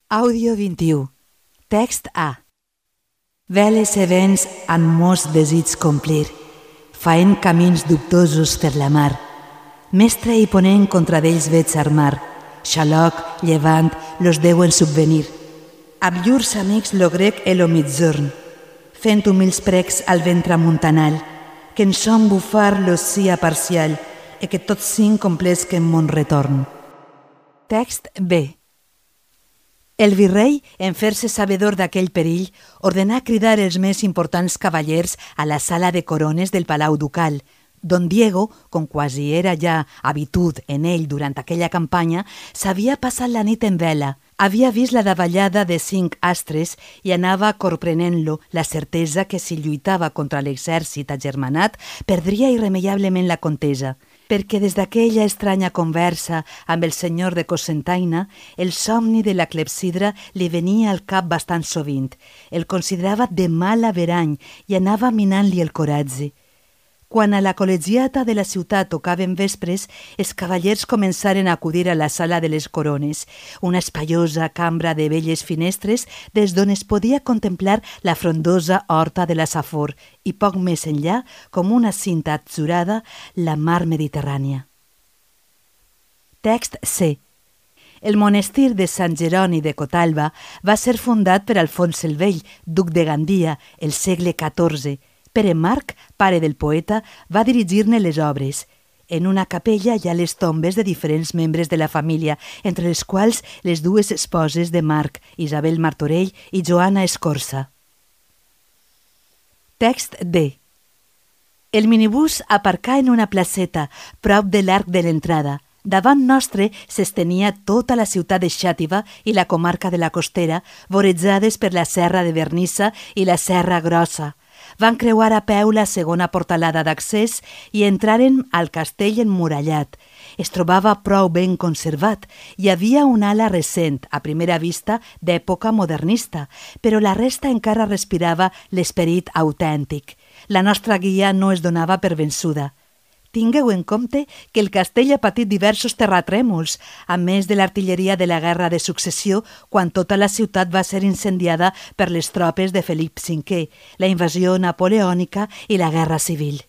Àudio 21. Text A. Veles e vents han mos desig complir, faent camins dubtosos per la mar. Mestre i ponent contra d'ells veig armar, Xaloc, Llevant, los deuen subvenir. Amb llurs amics lo grec e lo mitzorn, fent humils precs al vent tramuntanal, que en son bufar lo sia parcial, e que tots cinc complesquen mon retorn. Text B. El virrei, en fer-se sabedor d'aquell perill, ordenà cridar els més importants cavallers a la sala de corones del Palau Ducal. Don Diego, com quasi era ja habitud en ell durant aquella campanya, s'havia passat la nit en vela. Havia vist la davallada de 5 astres i anava corprenent-lo la certesa que si lluitava contra l'exèrcit agermanat perdria irremeiablement la contesa, perquè des d'aquella estranya conversa amb el senyor de Cocentaina, el somni de la clepsidra li venia al cap bastant sovint. El considerava de mal averany i anava minant-li el coratge. Quan a la col·legiata de la ciutat tocaven vespres, els cavallers començaren a acudir a la sala de les corones, una espaiosa cambra de belles finestres des d'on es podia contemplar la frondosa horta de la Safor i poc més enllà, com una cinta atzurada, la mar Mediterrània. Text C. El monestir de Sant Jeroni de Cotalba va ser fundat per Alfons el Vell, duc de Gandia, el segle XIV. Pere Marc, pare del poeta, va dirigir-ne les obres. En una capella hi ha les tombes de diferents membres de la família, entre les quals les dues esposes de Marc, Isabel Martorell i Joana Escorça. Text D. El minibús aparcà en una placeta, prop de l'arc de l'entrada. Davant nostre s'estenia tota la ciutat de Xàtiva i la comarca de la Costera, vorejades per la serra de Vernissa i la serra Grossa. Van creuar a peu la segona portalada d'accés i entraren al castell emmurallat. Es trobava prou ben conservat. Hi havia una ala recent, a primera vista, d'època modernista, però la resta encara respirava l'esperit autèntic. La nostra guia no es donava per vençuda. Tingueu en compte que el castell ha patit diversos terratrèmols, a més de l'artilleria de la Guerra de Successió, quan tota la ciutat va ser incendiada per les tropes de Felip V, la invasió napoleònica i la Guerra Civil.